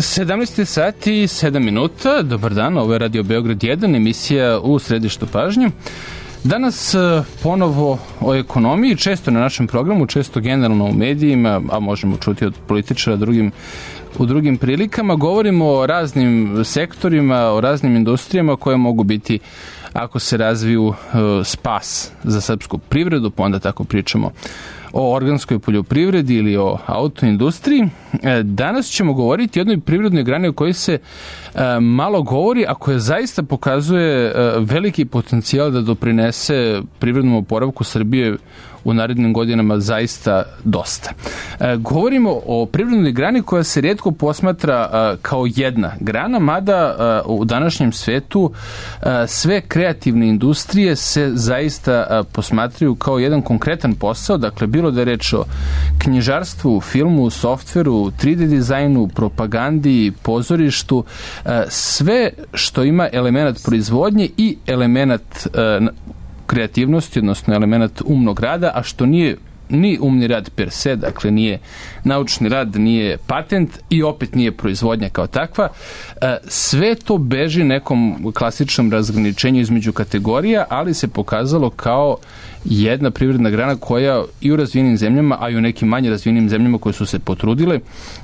17 sati i 7 minuta. Dobar dan, ovo je Radio Beograd 1, emisija u središtu pažnje. Danas ponovo o ekonomiji, često na našem programu, često generalno u medijima, a možemo čuti od političara u drugim prilikama. Govorimo o raznim sektorima, o raznim industrijama koje mogu biti, ako se razviju, spas za srpsku privredu, pa onda tako pričamo o organskoj poljoprivredi ili o autoindustriji. Danas ćemo govoriti o jednoj privrednoj grani o kojoj se malo govori, a koja zaista pokazuje veliki potencijal da doprinese privrednom oporavku Srbije u narednim godinama zaista dosta. Govorimo o privrednoj grani koja se rijetko posmatra kao jedna grana, mada u današnjem svetu sve kreativne industrije se zaista posmatraju kao jedan konkretan posao, dakle bilo da je reč o knjižarstvu, filmu, softveru, 3D dizajnu, propagandi, pozorištu, sve što ima element proizvodnje i element kreativnosti, odnosno element umnog rada, a što nije ni umni rad per se, dakle nije naučni rad, nije patent i opet nije proizvodnja kao takva. Sve to beži nekom klasičnom razgraničenju između kategorija, ali se pokazalo kao jedna privredna grana koja i u razvijenim zemljama, a i u nekim manje razvijenim zemljama koje su se potrudile,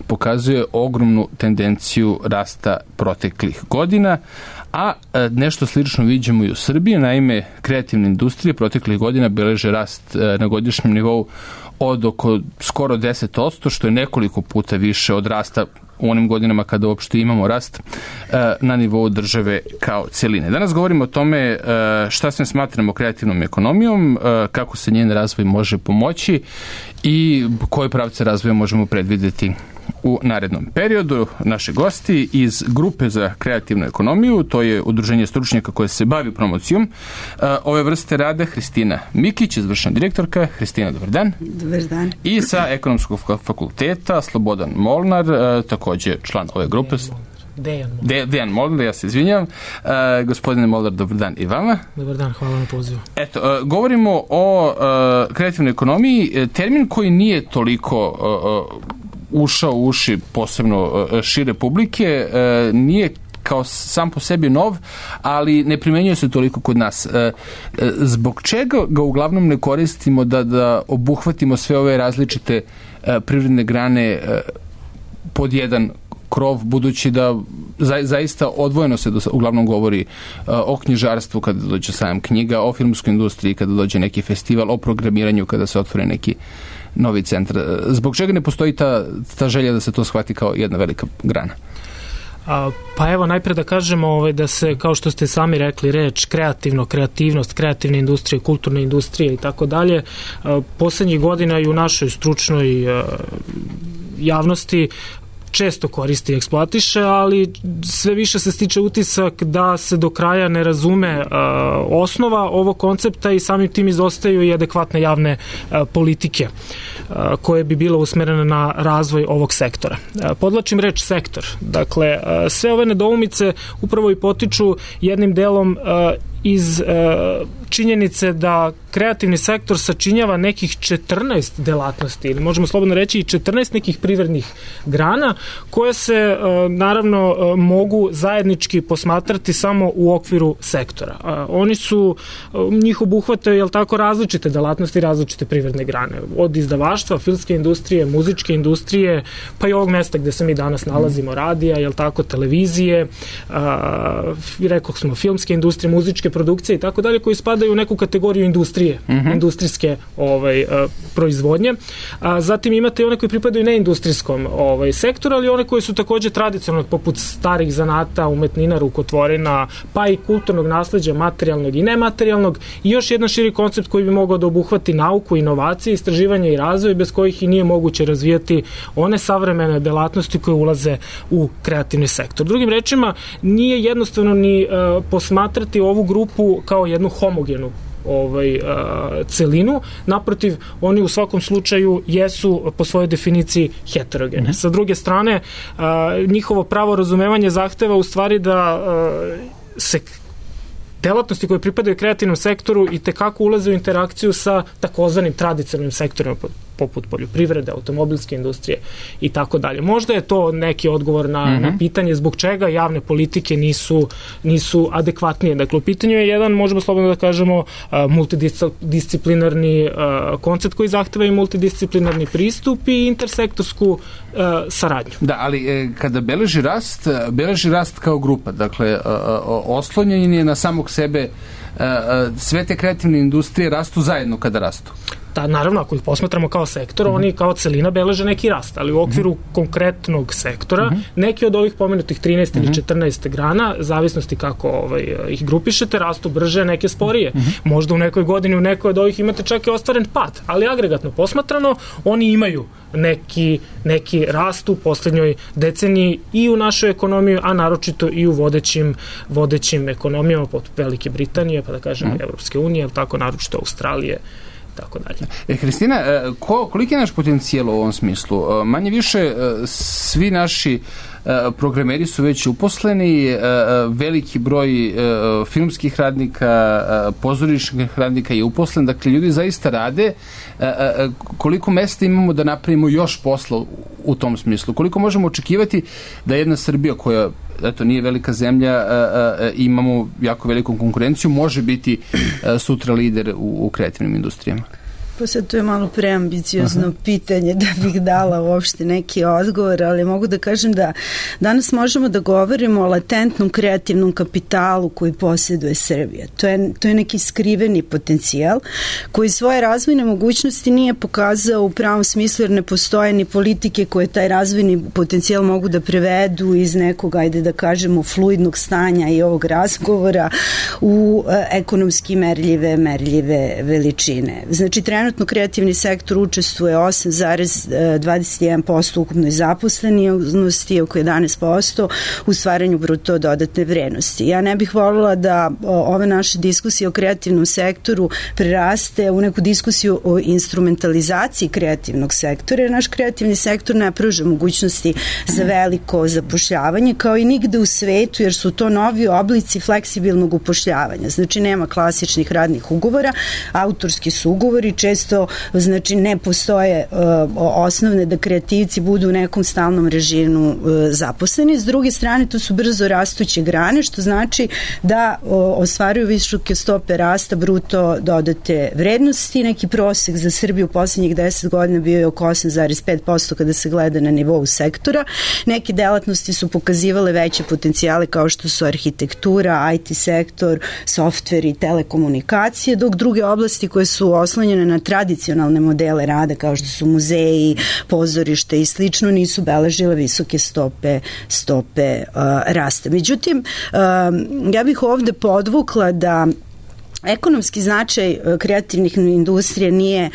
pokazuje ogromnu tendenciju rasta proteklih godina, a nešto slično vidimo i u Srbiji. Naime, kreativne industrije proteklih godina beleže rast na godišnjem nivou od oko skoro 10%, što je nekoliko puta više od rasta u onim godinama kada uopšte imamo rast na nivou države kao celine. Danas govorimo o tome šta sve smatramo kreativnom ekonomijom, kako se njen razvoj može pomoći i koje pravce razvoja možemo predvidjeti u narednom periodu. Naši gosti iz Grupe za kreativnu ekonomiju, to je udruženje stručnjaka koje se bavi promocijom ove vrste rada, Hristina Mikić, izvršna direktorka. Hristina, dobar dan. Dobar dan. I sa Ekonomskog fakulteta Slobodan Molnar, također član ove grupe. Dejan Molnar, ja se izvinjam. Gospodine Molnar, dobar dan i vama. Dobar dan, hvala na pozivu. Eto, govorimo o kreativnoj ekonomiji, termin koji nije toliko ušao u uši posebno šire publike, nije kao sam po sebi nov, ali ne primenjuje se toliko kod nas. Zbog čega ga uglavnom ne koristimo da obuhvatimo sve ove različite privredne grane pod jedan krov, budući da zaista odvojeno se uglavnom govori o knjižarstvu kada dođe sajam knjiga, o filmskoj industriji kada dođe neki festival, o programiranju kada se otvore neki novi centar. Zbog čega ne postoji ta želja da se to shvati kao jedna velika grana? Pa evo, najpre da kažemo da se, kao što ste sami rekli, reč kreativnost, kreativne industrije, kulturne industrije i tako dalje, poslednjih godina i u našoj stručnoj javnosti često koristi i eksploatiše, ali sve više se stiče utisak da se do kraja ne razume osnova ovog koncepta i samim tim izostaju i adekvatne javne politike koje bi bilo usmerene na razvoj ovog sektora. Podlačim reč sektor. Dakle, sve ove nedoumice upravo i potiču jednim delom iz činjenice da kreativni sektor sačinjava nekih 14 delatnosti, ili možemo slobodno reći i 14 nekih privrednih grana koje se naravno mogu zajednički posmatrati samo u okviru sektora. Oni su, njih obuhvataju, jel tako, različite delatnosti, različite privredne grane. Od izdavaštva, filmske industrije, muzičke industrije, pa i ovog mesta gde se mi danas nalazimo, radija, jel tako, televizije, rekao smo filmske industrije, muzičke produkcije i tako dalje, koji spadaju u neku kategoriju industrije, industrijske proizvodnje. Zatim imate i one koji pripadaju neindustrijskom sektoru, ali one koji su takođe tradicionalne, poput starih zanata, umetnina, rukotvorina, pa i kulturnog nasleđa, materijalnog i nematerijalnog, i još jedan širi koncept koji bi mogao da obuhvati nauku, inovacije, istraživanje i razvoj, bez kojih i nije moguće razvijati one savremene delatnosti koje ulaze u kreativni sektor. Drugim rečima, nije jednostavno ni posmatrati ovu grupu kao jednu homogenu celinu. Naprotiv, oni u svakom slučaju jesu po svojoj definiciji heterogene. Sa druge strane, njihovo pravo razumevanje zahteva u stvari da se delatnosti koje pripadaju kreativnom sektoru i tekako ulaze u interakciju sa takozvanim tradicionalnim sektorima, poput poljoprivrede, automobilske industrije i tako dalje. Možda je to neki odgovor na pitanje zbog čega javne politike nisu adekvatnije. Dakle, u pitanju je jedan, možemo slobodno da kažemo, multidisciplinarni koncept koji zahteva i multidisciplinarni pristup i intersektorsku saradnju. Da, ali kada beleži rast kao grupa, dakle, oslonjen je na samog sebe, sve te kreativne industrije rastu zajedno kada rastu. Da, naravno, ako ih posmatramo kao sektor, oni kao celina beleže neki rast, ali u okviru konkretnog sektora, neki od ovih pomenutih 13 ili 14 grana, zavisnosti kako ih grupišete, rastu brže, neke sporije. Možda u nekoj godini u nekoj od ovih imate čak i ostvaren pad, ali agregatno posmatrano, oni imaju neki rast u poslednjoj deceniji i u našoj ekonomiji, a naročito i u vodećim ekonomijama poput Velike Britanije, pa da kažem Evropske unije, tako naročito Australije, tako dalje. Hristina, koliki je naš potencijal u ovom smislu? Manje više svi naši programeri su već uposleni, veliki broj filmskih radnika, pozorišnih radnika je uposlen, dakle ljudi zaista rade. Koliko mesta imamo da napravimo još posla u tom smislu? Koliko možemo očekivati da jedna Srbija koja nije velika zemlja, imamo jako veliku konkurenciju, može biti sutra lider u kreativnim industrijama? Pa sad to je malo preambiciozno pitanje da bih dala uopšte neki odgovor, ali mogu da kažem da danas možemo da govorimo o latentnom kreativnom kapitalu koji posjeduje Srbija. To je neki skriveni potencijal koji svoje razvojne mogućnosti nije pokazao u pravom smislu, jer ne postoje ni politike koje taj razvojni potencijal mogu da prevedu iz nekog, ajde da kažemo, fluidnog stanja i ovog razgovora u ekonomski merljive veličine. Znači, trenutno kreativni sektor učestvuje 8,21% ukupnoj zaposlenosti, oko 11% u stvaranju bruto dodatne vrednosti. Ja ne bih voljela da ove naše diskusije o kreativnom sektoru preraste u neku diskusiju o instrumentalizaciji kreativnog sektora, jer naš kreativni sektor ne pruža mogućnosti za veliko zapošljavanje, kao i nigde u svetu, jer su to novi oblici fleksibilnog upošljavanja. Znači, nema klasičnih radnih ugovora, autorski su ugovori, često znači ne postoje osnovne da kreativci budu u nekom stalnom režimu zaposleni. S druge strane, to su brzo rastuće grane, što znači da ostvaruju visoke stope rasta bruto dodate vrednosti. Neki prosek za Srbiju u posljednjih 10 godina bio je oko 8,5% kada se gleda na nivou sektora. Neke delatnosti su pokazivale veće potencijale kao što su arhitektura, IT sektor, softver i telekomunikacije, dok druge oblasti koje su oslonjene na tradicionalne modele rada kao što su muzeji, pozorište i slično nisu beležile visoke stope rasta. Međutim, ja bih ovde podvukla da ekonomski značaj kreativnih industrija nije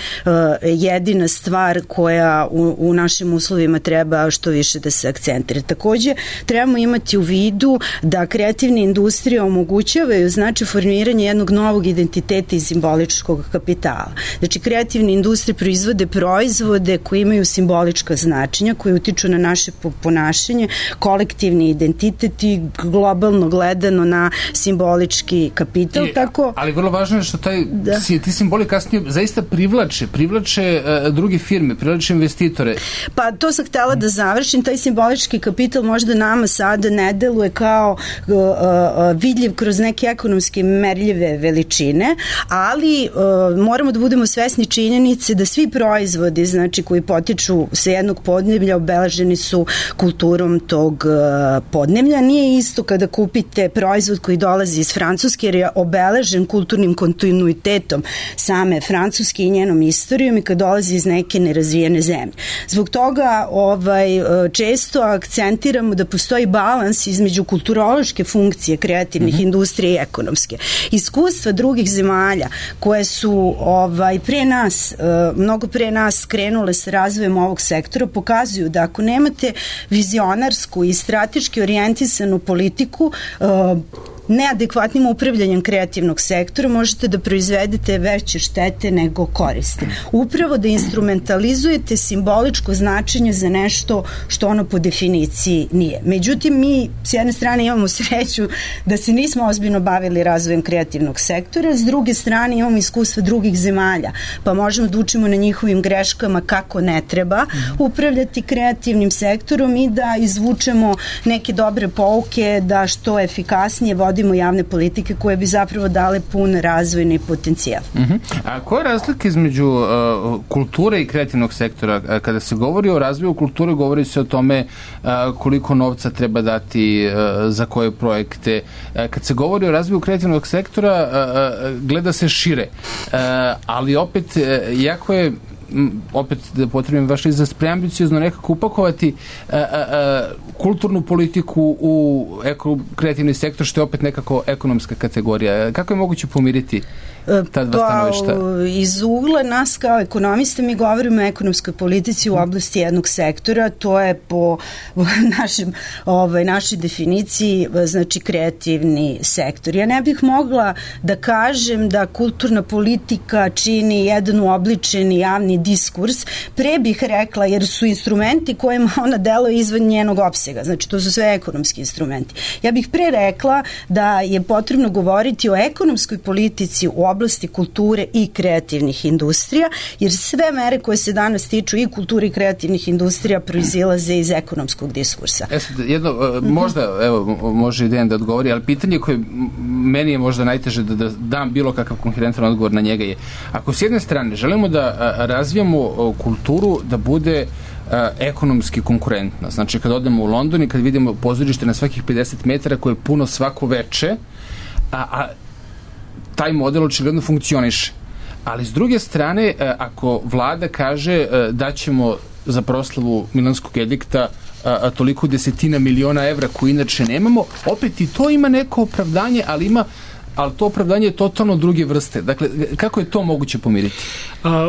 jedina stvar koja u našim uslovima treba što više da se akcentira. Takođe, trebamo imati u vidu da kreativne industrije omogućavaju znači formiranje jednog novog identiteta i simboličkog kapitala. Znači, kreativne industrije proizvode proizvode koji imaju simbolička značenja, koji utiču na naše ponašanje, kolektivni identitet i globalno gledano na simbolički kapital. Ali vrlo važno je što ti simboli kasnije zaista privlače druge firme, privlače investitore. Pa to sam htela da završim. Taj simbolički kapital možda nama sada ne deluje kao vidljiv kroz neke ekonomske merljive veličine, ali moramo da budemo svesni činjenice da svi proizvodi, znači koji potiču sa jednog podneblja, obeleženi su kulturom tog podneblja. Nije isto kada kupite proizvod koji dolazi iz Francuske, jer je obeležen kulturnim kontinuitetom same Francuske i njenom istorijom, i kad dolazi iz neke nerazvijene zemlje. Zbog toga često akcentiramo da postoji balans između kulturološke funkcije kreativnih industrija i ekonomske. Iskustva drugih zemalja koje su pre nas, mnogo pre nas krenule sa razvojem ovog sektora, pokazuju da ako nemate vizionarsku i strateški orijentisanu politiku, neadekvatnim upravljanjem kreativnog sektora možete da proizvedete veće štete nego koristi. Upravo da instrumentalizujete simboličko značenje za nešto što ono po definiciji nije. Međutim, mi s jedne strane imamo sreću da se nismo ozbiljno bavili razvojem kreativnog sektora, s druge strane imamo iskustva drugih zemalja, pa možemo da učimo na njihovim greškama kako ne treba upravljati kreativnim sektorom i da izvučemo neke dobre pouke da što efikasnije vodimo javne politike koje bi zapravo dale pun razvojni potencijal. A koja je razlika između kulture i kreativnog sektora? Kada se govori o razvoju kulture, govori se o tome koliko novca treba dati za koje projekte. Kad se govori o razvoju kreativnog sektora, gleda se šire. Ali opet, jako je opet da potrebim vaš izraz, preambiciozno nekako upakovati kulturnu politiku u kreativni sektor, što je opet nekako ekonomska kategorija. Kako je moguće pomiriti ta dva stanovišta? Iz ugla nas kao ekonomista mi govorimo o ekonomskoj politici u oblasti jednog sektora, to je po našoj definiciji znači kreativni sektor. Ja ne bih mogla da kažem da kulturna politika čini jedan uobličeni javni diskurs, pre bih rekla, jer su instrumenti kojima ona deluje izvan njenog opsega, znači to su sve ekonomski instrumenti. Ja bih pre rekla da je potrebno govoriti o ekonomskoj politici u oblasti kulture i kreativnih industrija, jer sve mere koje se danas tiču i kulture i kreativnih industrija proizilaze iz ekonomskog diskursa. Jedno, možda, evo, može Dejan da odgovori, ali pitanje koje meni je možda najteže da dam bilo kakav koherentan odgovor na njega je, ako s jedne strane želimo da razvijamo kulturu da bude ekonomski konkurentna. Znači, kad odemo u London i kad vidimo pozorište na svakih 50 metara koje je puno svako veče, a taj model očigledno funkcioniše. Ali s druge strane, ako vlada kaže da ćemo za proslavu Milanskog edikta toliko desetina miliona evra koje inače nemamo, opet i to ima neko opravdanje, ali to opravdanje je totalno druge vrste. Dakle, kako je to moguće pomiriti?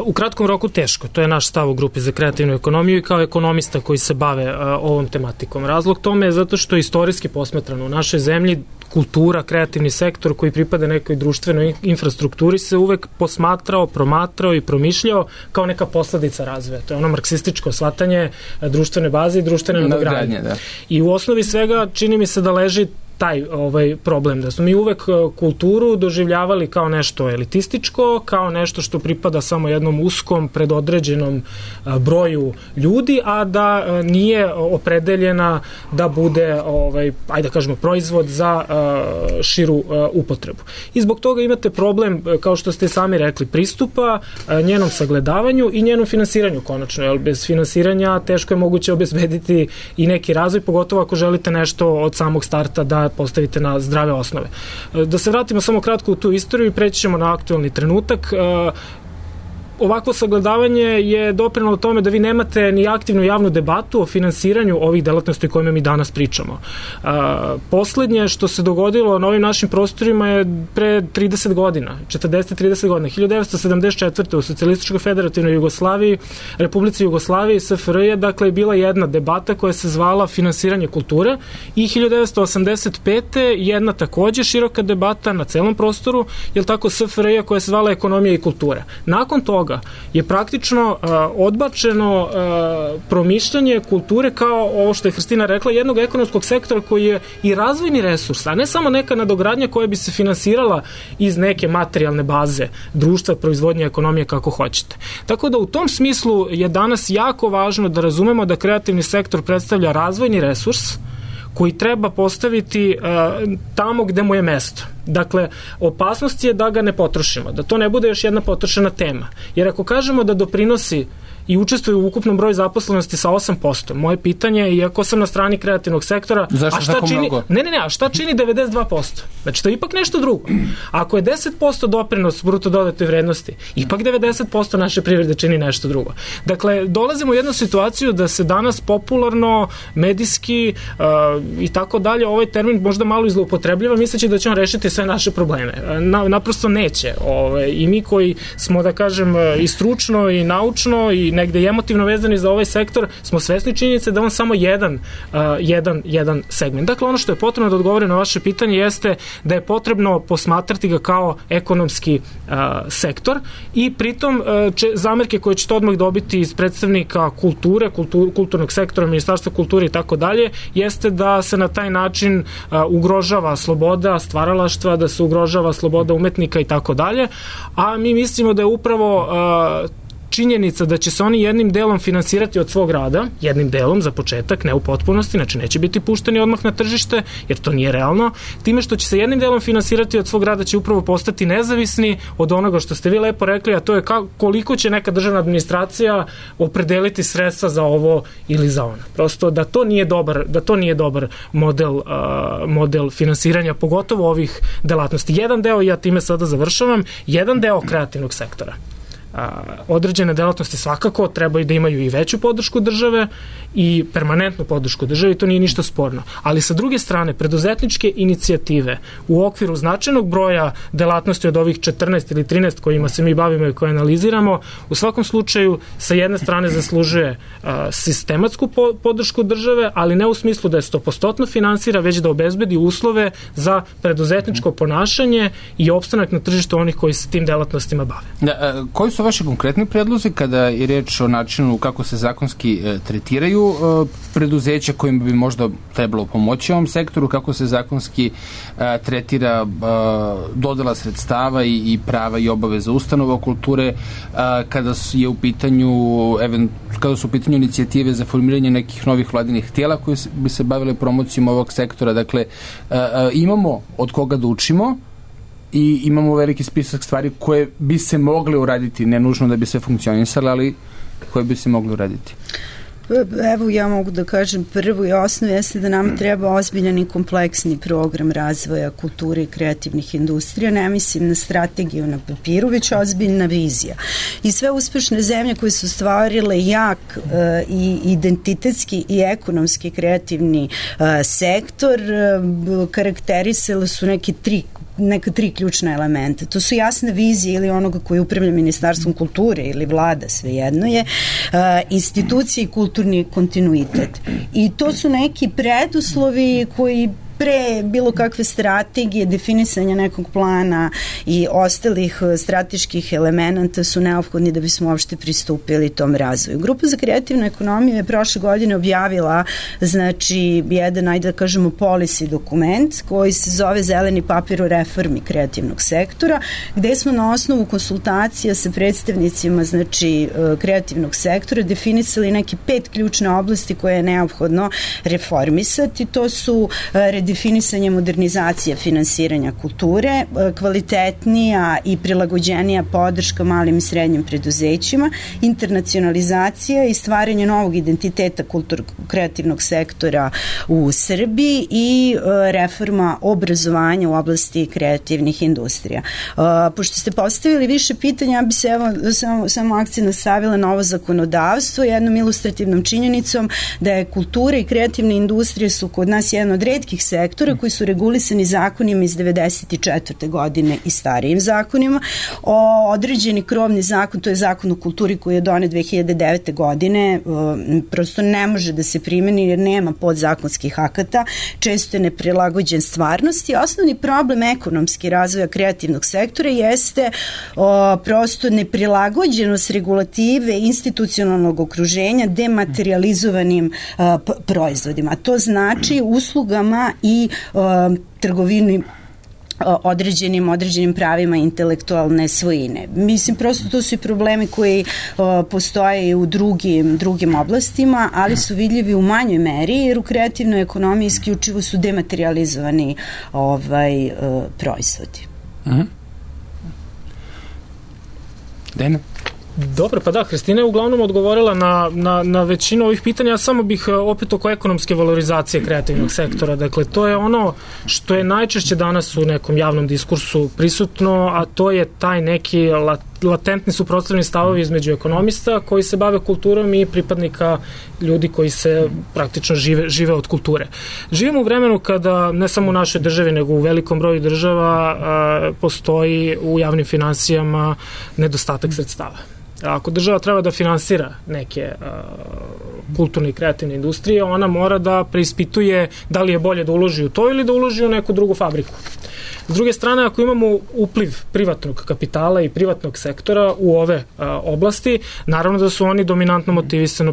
U kratkom roku teško. To je naš stav u grupi za kreativnu ekonomiju i kao ekonomista koji se bave ovom tematikom. Razlog tome je zato što istorijski posmatrano u našoj zemlji kultura, kreativni sektor koji pripada nekoj društvenoj infrastrukturi se uvek posmatrao, promatrao i promišljao kao neka posledica razvoja. To je ono marksističko shvatanje društvene baze i društvene nadogradnje. I u osnovi svega čini mi se da leži taj problem, da smo mi uvek kulturu doživljavali kao nešto elitističko, kao nešto što pripada samo jednom uskom predodređenom broju ljudi, a da nije opredeljena da bude, ajde da kažemo, proizvod za širu upotrebu. I zbog toga imate problem, kao što ste sami rekli, pristupa, njenom sagledavanju i njenom finansiranju konačno, jer bez finansiranja teško je moguće obezbediti i neki razvoj, pogotovo ako želite nešto od samog starta da postavite na zdrave osnove. Da se vratimo samo kratko u tu istoriju i preći ćemo na aktualni trenutak. Ovakvo sagledavanje je doprinelo tome da vi nemate ni aktivnu javnu debatu o finansiranju ovih delatnosti o kojima mi danas pričamo. Poslednje što se dogodilo na ovim našim prostorima je pre 30 godina, 40-30 godina, 1974. u Socijalističkoj federativnoj Jugoslaviji, Republici Jugoslaviji, SFRJ, dakle je bila jedna debata koja se zvala finansiranje kulture i 1985. jedna takođe široka debata na celom prostoru, je tako SFRJ koja se zvala ekonomija i kultura. Nakon toga je praktično odbačeno promišljanje kulture kao ovo što je Hristina rekla, jednog ekonomskog sektora koji je i razvojni resurs, a ne samo neka nadogradnja koja bi se finansirala iz neke materijalne baze društva, proizvodnje, ekonomije, kako hoćete. Tako da u tom smislu je danas jako važno da razumemo da kreativni sektor predstavlja razvojni resurs koji treba postaviti tamo gde mu je mesto. Dakle, opasnost je da ga ne potrošimo, da to ne bude još jedna potrošena tema. Jer ako kažemo da doprinosi i učestvuju u ukupnom broju zaposlenosti sa 8%, moje pitanje je, iako sam na strani kreativnog sektora, zašto a šta čini, a šta čini 92%? Znači, to je ipak nešto drugo. Ako je 10% doprinos bruto dodatoj vrednosti, ipak 90% naše privrede čini nešto drugo. Dakle, dolazimo u jednu situaciju da se danas popularno, medijski i tako dalje, ovaj termin možda malo izloupotrebljava, misleći da će on rešiti sve naše probleme. Naprosto neće. I mi koji smo, da kažem, i stručno i naučno i negde i emotivno vezani za ovaj sektor, smo svesni činjenice da on samo jedan segment. Dakle, ono što je potrebno da odgovori na vaše pitanje jeste da je potrebno posmatrati ga kao ekonomski sektor i pritom zamerke koje ćete odmah dobiti iz predstavnika kulture, kulturnog sektora, Ministarstva kulture i tako dalje, jeste da se na taj način ugrožava sloboda stvaralaštva, da se ugrožava sloboda umetnika i tako dalje, a mi mislimo da je upravo činjenica da će se oni jednim delom finansirati od svog rada, jednim delom za početak, ne u potpunosti, znači neće biti pušteni odmah na tržište, jer to nije realno, time što će se jednim delom finansirati od svog rada će upravo postati nezavisni od onoga što ste vi lepo rekli, a to je koliko će neka državna administracija opredeliti sredstva za ovo ili za ono. Prosto da to nije dobar model finansiranja, pogotovo ovih delatnosti. Jedan deo, ja time sada završavam, jedan deo kreativnog sektora. Određene delatnosti svakako trebaju da imaju i veću podršku države i permanentnu podršku države i to nije ništa sporno. Ali sa druge strane, preduzetničke inicijative u okviru značajnog broja delatnosti od ovih 14 ili 13 kojima se mi bavimo i koje analiziramo, u svakom slučaju sa jedne strane zaslužuje sistematsku podršku države, ali ne u smislu da je 100% finansira, već da obezbedi uslove za preduzetničko ponašanje i opstanak na tržištu onih koji se tim delatnostima bave. Koji su vaši konkretni predlozi kada je reč o načinu kako se zakonski tretiraju preduzeća kojima bi možda trebalo pomoći ovom sektoru, kako se zakonski tretira dodela sredstava i prava i obaveza ustanova kulture, kada su u pitanju inicijative za formiranje nekih novih vladinih tijela koji bi se bavile promocijom ovog sektora. Dakle, imamo od koga da učimo i imamo veliki spisak stvari koje bi se mogle uraditi, ne nužno da bi sve funkcionisale, ali koje bi se mogle uraditi. Evo, ja mogu da kažem, prvo i osnovu jeste da nam treba ozbiljan i kompleksni program razvoja kulture i kreativnih industrija. Ne mislim na strategiju na papiru, već ozbiljna vizija. I sve uspešne zemlje koje su stvarile jak i identitetski i ekonomski kreativni sektor, karakterisale su neka tri ključna elementa. To su jasne vizije ili onoga koji upravlja Ministarstvom kulture ili vlada, svejedno je, institucije i kulturni kontinuitet. I to su neki preduslovi koji pre bilo kakve strategije, definisanja nekog plana i ostalih strateških elemenata su neophodni da bismo uopšte pristupili tom razvoju. Grupa za kreativnu ekonomiju je prošle godine objavila, znači, jedan, ajde da kažemo, policy dokument koji se zove Zeleni papir o reformi kreativnog sektora, gde smo na osnovu konsultacija sa predstavnicima, znači, kreativnog sektora definisali neke 5 ključne oblasti koje je neophodno reformisati. To su definisanje modernizacije finansiranja kulture, kvalitetnija i prilagođenija podrška malim i srednjim preduzećima, internacionalizacija i stvaranje novog identiteta kreativnog sektora u Srbiji i reforma obrazovanja u oblasti kreativnih industrija. Pošto ste postavili više pitanja, ja bi se samo akcent stavila na ovo zakonodavstvo jednom ilustrativnom činjenicom da je kultura i kreativne industrije su kod nas jedan od retkih sektora koji su regulisani zakonima iz 94. godine i starijim zakonima. Određeni krovni zakon, to je zakon o kulturi koji je donet 2009. godine, prosto ne može da se primeni jer nema podzakonskih akata, često je neprilagođen stvarnosti. Osnovni problem ekonomski razvoja kreativnog sektora jeste prosto neprilagođenost regulative institucionalnog okruženja dematerializovanim proizvodima. To znači uslugama i trgovini određenim pravima intelektualne svojine. Mislim, prosto to su i problemi koji postoje i u drugim oblastima, ali su vidljivi u manjoj meri, jer u kreativnoj ekonomiji isključivo su dematerializovani proizvodi. Dena? Dobro, pa da, Hristina je uglavnom odgovorila na većinu ovih pitanja, ja samo bih opet oko ekonomske valorizacije kreativnog sektora. Dakle, to je ono što je najčešće danas u nekom javnom diskursu prisutno, a to je taj neki latentni suprotstavljeni stavovi između ekonomista koji se bave kulturom i pripadnika ljudi koji se praktično žive od kulture. Živimo u vremenu kada ne samo u našoj državi, nego u velikom broju država postoji u javnim finansijama nedostatak sredstava. Ako država treba da finansira neke kulturne i kreativne industrije, ona mora da preispituje da li je bolje da uloži u to ili da uloži u neku drugu fabriku. S druge strane, ako imamo upliv privatnog kapitala i privatnog sektora u ove oblasti, naravno da su oni dominantno motivisani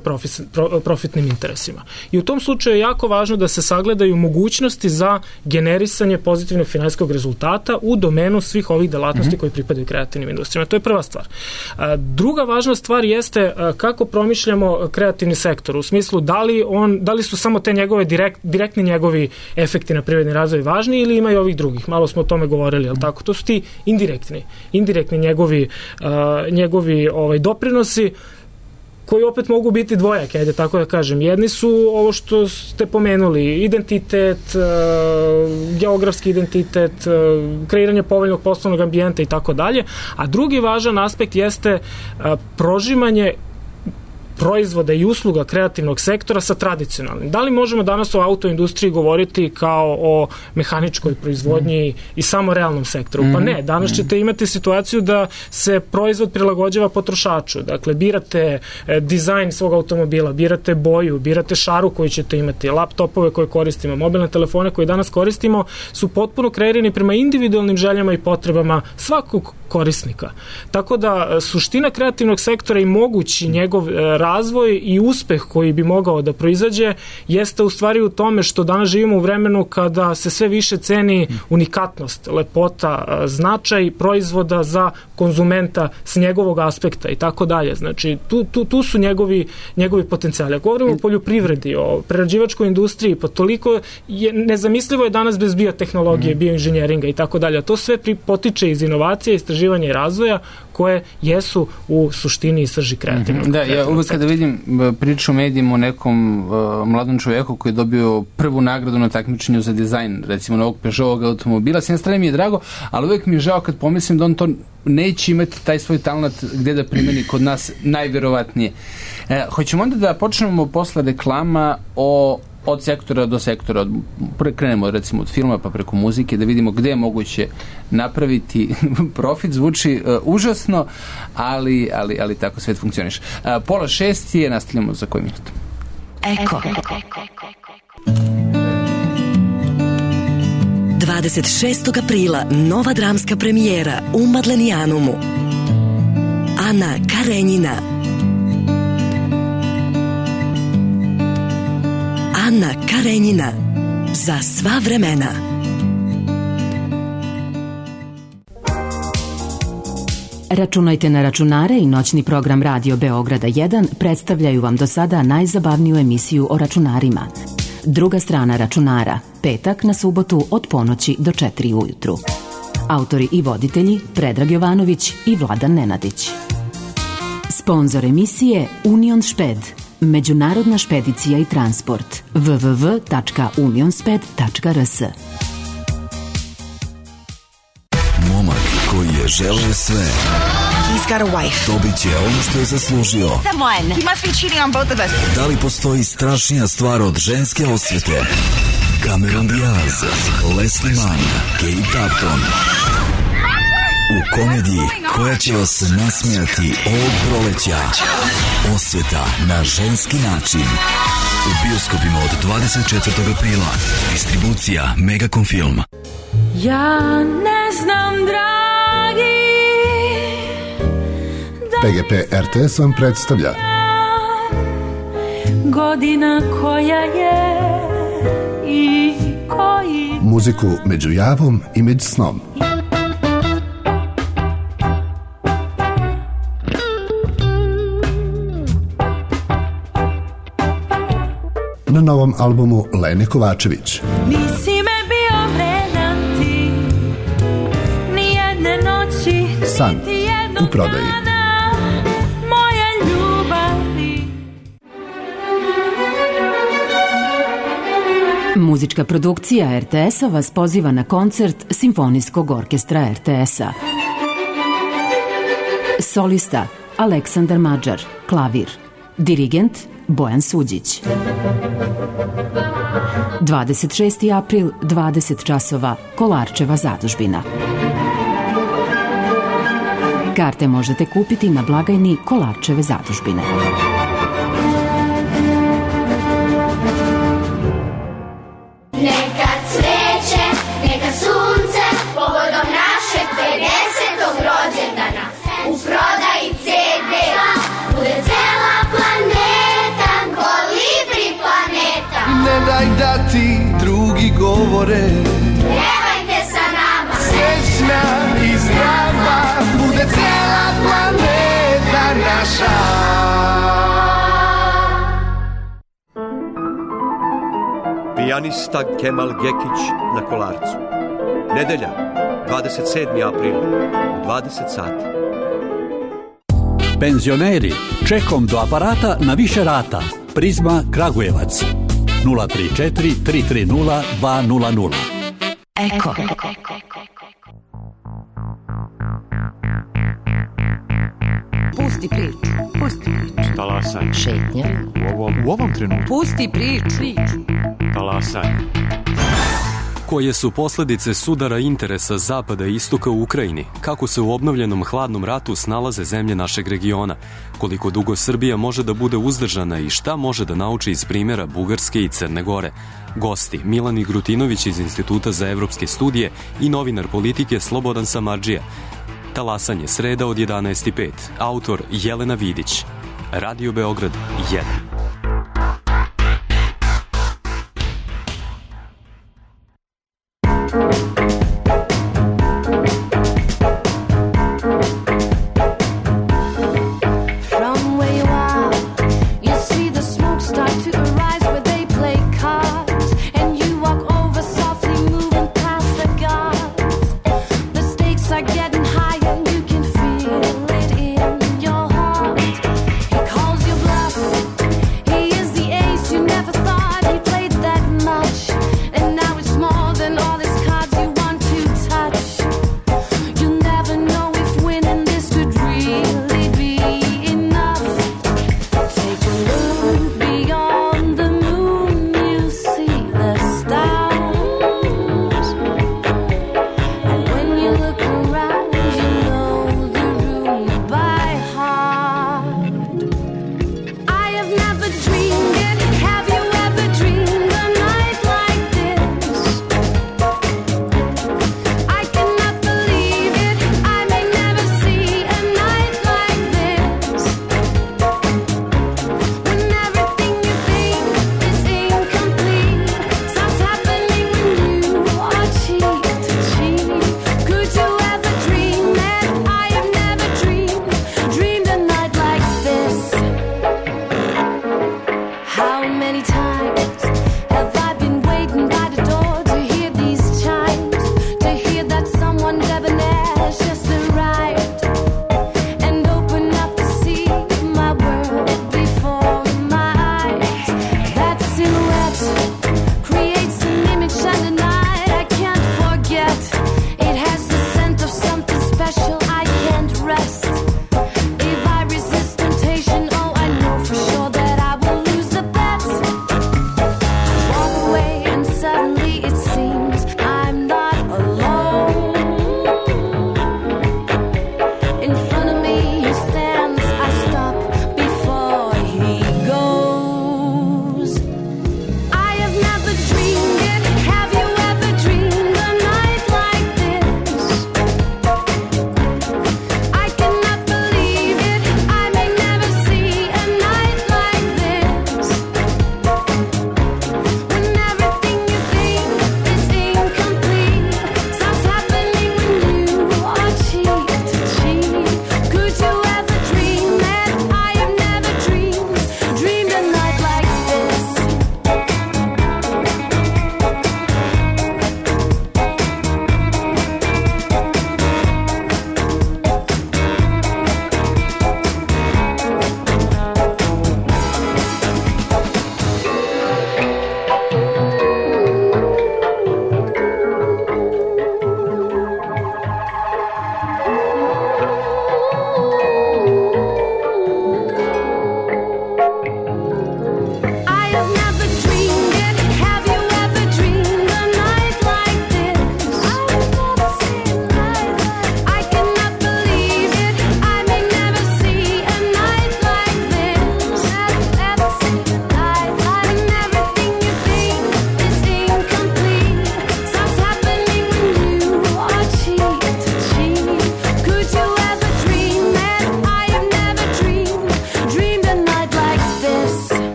profitnim interesima. I u tom slučaju je jako važno da se sagledaju mogućnosti za generisanje pozitivnog finansijskog rezultata u domenu svih ovih delatnosti koji pripadaju kreativnim industrijama. To je prva stvar. Druga važna stvar jeste kako promišljamo kreativni sektor, u smislu da li su samo te njegove direktni njegovi efekti na privredni razvoj važni ili imaju ovih drugih. Malo smo o tome govorili, ali tako? To su ti indirektni njegovi doprinosi koji opet mogu biti dvojaki, ajde tako da kažem. Jedni su ovo što ste pomenuli, identitet, geografski identitet, kreiranje povoljnog poslovnog ambijenta i tako dalje, a drugi važan aspekt jeste prožimanje proizvoda i usluga kreativnog sektora sa tradicionalnim. Da li možemo danas o autoindustriji govoriti kao o mehaničkoj proizvodnji i samo realnom sektoru? Pa ne, danas ćete imati situaciju da se proizvod prilagođava potrošaču. Dakle, birate dizajn svog automobila, birate boju, birate šaru koju ćete imati, laptopove koje koristimo, mobilne telefone koje danas koristimo su potpuno kreirani prema individualnim željama i potrebama svakog korisnika. Tako da suština kreativnog sektora i mogući njegov razvoj i uspeh koji bi mogao da proizađe jeste u stvari u tome što danas živimo u vremenu kada se sve više ceni unikatnost, lepota, značaj proizvoda za konzumenta s njegovog aspekta i tako dalje. Znači, tu su njegovi potencijali. Ako govorimo o poljoprivredi, o prerađivačkoj industriji, pa toliko nezamislivo je danas bez biotehnologije, bioinženjeringa i tako dalje. To sve potiče iz inovacije, istraživanja i razvoja koje jesu u suštini i srži kreativnog. Da, ja uvek kada vidim priču u medijima o nekom mladom čovjeku koji je dobio prvu nagradu na takmičenju za dizajn, recimo novog Peugeotovog automobila, s jedne strane mi je drago, ali uvek mi je žao kad pomislim da on to neće imati taj svoj talent gde da primeni kod nas najverovatnije. Hoćemo onda da počnemo posle reklama od sektora do sektora. Krenemo recimo od filma pa preko muzike da vidimo gde je moguće napraviti profit. Zvuči užasno, ali tako svet funkcioniše. 5:30 je, nastavljamo za koji minut. Eko. 26. aprila nova dramska premijera u Madlenijanumu. Ana Karenjina. Ana Karenjina. Za sva vremena. Računajte na računare i noćni program Radio Beograda 1 predstavljaju vam do sada najzabavniju emisiju o računarima. Druga strana računara, petak na subotu od ponoći do 4 ujutru. Autori i voditelji Predrag Jovanović i Vladan Nenadić. Sponzor emisije Union Šped, međunarodna špedicija i transport, www.unionsped.rs. Momak koji je želeo sve. He's got a wife. Dobit će ono što je zaslužio. Someone. He must be cheating on both of us. Da li postoji strašnija stvar od ženske osvete? Cameron Diaz, Leslie Mann, Kate Upton. U komediji koja će vas nasmijati ovog proleća. Osveta na ženski način. U bioskopima od 24. aprila. Distribucija Megacom Film. Ja ne znam, dragi, PGP RTS vam predstavlja godina koja je i koji muziku među javom i među snom. Na novom albumu Lene Kovačević. Nisi me bio vredan ti, ni jedne noći, San u prodaji. Muzička produkcija RTS-a vas poziva na koncert Simfonijskog orkestra RTS-a. Solista Aleksandar Mađar, klavir. Dirigent Bojan Suđić. 26. april, 20 časova, Kolarčeva zadužbina. Karte možete kupiti na blagajni Kolarčeve zadužbine. Neka cveće, neka sunce, povodom našeg 50. rođendana. U prodaji CD bude cela planeta, kolibri planeta. Ne daj da ti drugi govore, pjevajte sa nama, srećna i zdrava, bude cela planeta naša. Pijanista Kemal Gekić na Kolarcu. Nedelja, 27. april, u 20 sati. Penzioneri, čekom do aparata na više rata. Prizma Kragujevac. 034 330 200. Eko. Pusti priču. Pusti priču. Talasanje. Šetnja. U ovom trenutku. Pusti priču. Talasanje. Koje su posledice sudara interesa Zapada i Istoka u Ukrajini? Kako se u obnovljenom hladnom ratu snalaze zemlje našeg regiona? Koliko dugo Srbija može da bude uzdržana i šta može da nauči iz primjera Bugarske i Crne Gore? Gosti Milan Grutinović iz Instituta za evropske studije i novinar politike Slobodan Samardžija. Talasanje, sreda od 11:05. Autor Jelena Vidić. Radio Beograd 1.